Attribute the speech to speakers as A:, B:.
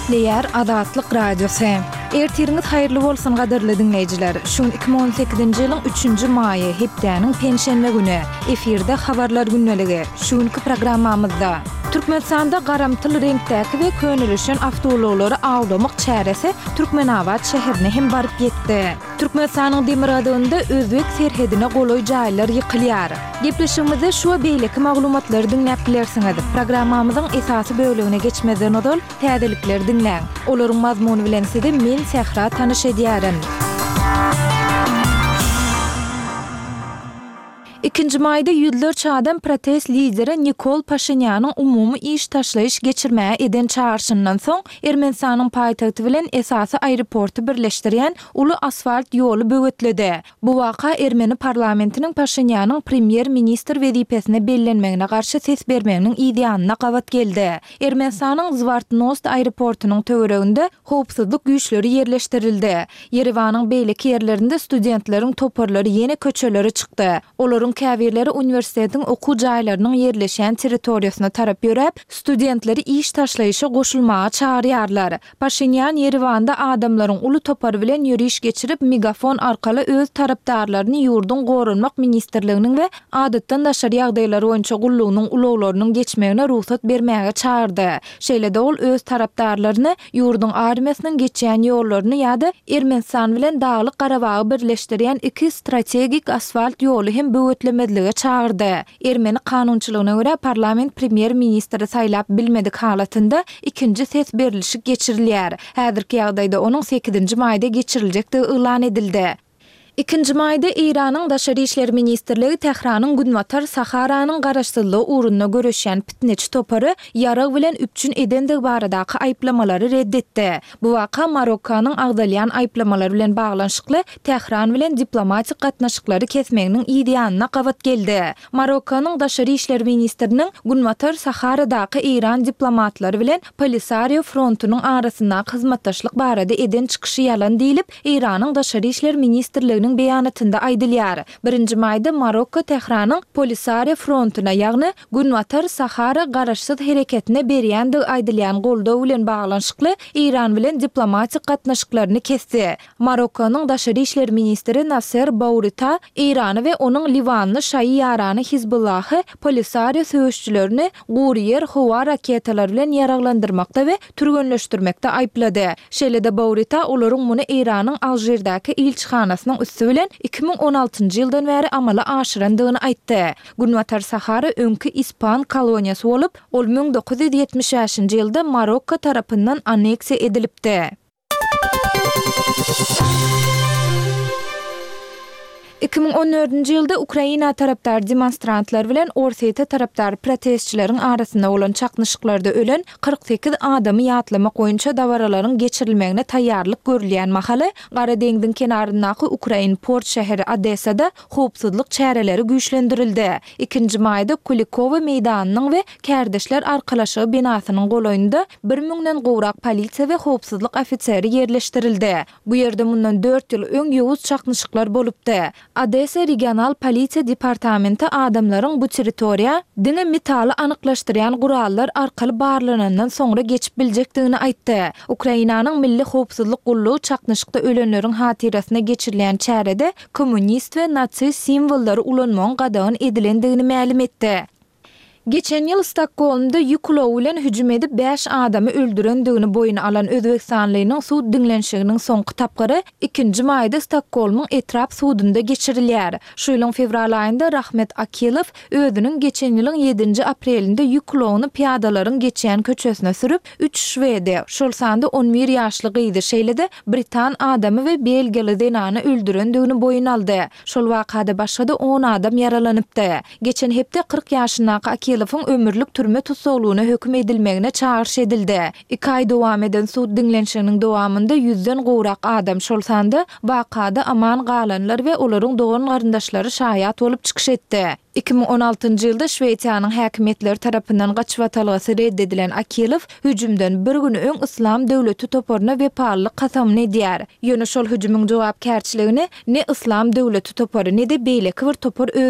A: Gepleýär Azatlyk Radiosy. Ertiriňiz haýyrly bolsun gadyrly diňleýjiler. Şu gün 2018-nji ýylyň üçünji maýy, hepdäniň penşenbe güni. Efirde Habarlar gündeligi. Şu günki programmamyzda. Türkmenistanda garamtyl reňkdäki we könelişen awtoulaglary awlamak çäresi Türkmenabat şäherine hem baryp ýetdi. Türkmenistanyň demirgazygynda özbek serhedine golaý jaýlar ýykylýar. Gepleşigimizde şu we beýleki maglumatlary diňläp bilersiňiz. Programmamyzyň esasy bölegine geçmezden ozal, täzelikleri diňläň. Olaryň mazmuny bilen sizi men Sähra tanyş edýärin. Ikinji maýda ýüzlerçe adam protest lideri Nikol Paşinýanyň umumy iş taşlaýyş geçirmäge eden çagyryşyndan soň, Ermenistanyň paýtagty bilen esasy aeroporty birleşdirýän uly asfalt ýoly böwetledi. Bu waka ermeni parlamentiniň Paşinýanyň premýer-ministr wezipesine bellenmegine garşy ses bermeginiň yzýanyna gabat geldi. Ermenistanyň Zwartnost aeroportunyň töwereginde howpsuzlyk güýçleri ýerleşdirildi. Ýerewanyň beýleki ýerlerinde studentleriň toparlary ýene köçelere çykdy. Olaryň käbirleri uniwersitetiň okuw jaýlarynyň ýerleşýän territoriýasyna tarap ýöräp, studentleri iş taşlaýyşa goşulmaga çagyrýarlar. Paşinýan Ýerewanda adamlaryň uly topary bilen ýöriş geçirip, megafon arkaly öz tarapdarlaryny ýurduň Goranmak ministrliginiň we Adatdan daşary ýagdaýlar boýunça gullugynyň ulaglarynyň geçmegine rugsat bermäge çagyrdy. Şeýle-de ol öz tarapdarlaryny ýurduň armiýasynyň geçýän ýollaryny ýa-da Ermenistan bilen Daglyk Garabagy birleşdirýän iki strategik asfalt ýoly hem böwetlemezlige çagyrdy. Ermeni kanunçylygyna görä, parlament premýer-ministri saýlap bilmedik halatynda ikinji ses berlişik geçirilýär. Häzirki ýagdaýda onuň sekizinji maýda geçiriljekdigi yglan edildi. Ikinji maýda Eýranyň Daşary işler ministrligi Tähranyň Günbatar Saharanyň garaşsyzlygy ugrunda göreşýän pitneçi topary ýarag bilen üpjün edendigi baradaky aýyplamalary red etdi. Bu waka Marokkanyň agzalýan aýyplamalar bilen baglanyşykly Tähran bilen diplomatik gatnaşyklary kesmeginiň yz ýanyna gabat geldi. Marokkanyň daşary işler ministriniň Günbatar Saharadaky eýran diplomatlary bilen Polisario frontunyň arasyndaky hyzmatdaşlyk barada eden çykyşy ýalan diýlip, Eýranyň Daşary işler ministrliginiň beýanatynda aýdylýar. Birinji maýda Marokko Tähranyň Polisario frontuna, ýagny Günbatar Sahara garaşsyz hereketine berýändigi aýdylýan goldaw bilen baglanyşykly Eýran bilen diplomatik gatnaşyklaryny kesdi. Marokkonyň daşary işler ministri Nasser Bourita Eýrany we onuň liwanly şaýy ýarany Hizbullahy Polisario söweşçilerini gury ýer howa raketalary bilen ýaraglandyrmakda we türgenleşdirmekde aýyplady. Şeýle-de Bourita olaryň muny Eýranyň Alžirdäki ilçihanasynyň üsti bilen 2016-njy ýyldan bäri amala aşyrandygyny aýtdy. Günbatar Sahara öňki ispan koloniýasy bolup, ol 1975-nji ýylda Marokko tarapyndan anneksiýa edilipdi. 2014-nji ýylda Ukraina tarapdar demonstrantlar bilen Orsýete tarapdar protestçileriň arasynda bolan çaknyşyklarda ölen 48 adamy ýatlamak boýunça dabaralaryň geçirilmegine taýýarlyk görülýän mahaly, Gara deňziň kenaryndaky ukrain port şäheri Odessada howpsuzlyk çäreleri güýçlendirildi. Ikinji maýda Kulikowo meýdanynyň we Kärdeşler arkalaşygy binasynyň golaýynda bir müňden gowrak polisiýa we howpsuzlyk ofiseri ýerleşdirildi. Bu ýerde mundan dört ýyl öň ýowuz çaknyşyklar bolupdy. Odessa regional polisiýa departamenti adamlaryň bu territoriýa diňe metaly anyklaşdyrýan gurallar arkaly barlanandan soňra geçip biljekdigini aýtdy. Ukrainanyň Milli howpsuzlyk gullugy çaknyşykda ölenleriň hatyrasyna geçirilýän çärede kommunist we nasist simwollary ulanmagyň gadagan edilendigini mälim etdi. Geçen ýyl Stokgolmda ýük ulagy bilen hüjüm edip bäş adamy öldürendigini boýun alan özbegistanlynyň sud diňlenişiginiň soňky tapgyry ikinji maýda Stokgolmyň etrap sudunda geçirilýär. Şu ýylyň fewral aýynda Rahmet Akilow özüniň geçen ýylyň ýedinji aprelinde ýük ulagyny pyýadalaryň geçýän köçesine sürüp, üç şwedi, şol sanda on bir ýaşly gyzy, şeýle-de britan adamy we belgiýaly zenany öldürendigini boýun aldy. Şol wakada başga-da on adam ýaralanypdy. Geçen hepde 40 ýaşyndaky Akilowyň ömürlik türme tussaglygyna höküm edilmegine çagyryş edildi. Iki aý dowam eden sud diňlenişiginiň dowamynda ýüzden gowrak adam, şol sanda wakada aman galanlar we olaryň dogan-garyndaşlary şaýat bolup çykyş etdi. 2016-njy ýylda Şwesiýanyň häkimiýetleri tarapyndan gaçybatalgasy red edilen Akilow hüjümden bir gün öň Yslam döwleti toparyna wepalylyk kasamyny edýär. Ýöne şol hüjümiň jogapkärçiligini ne Yslam döwleti topary, ne-de beýleki bir topar öz.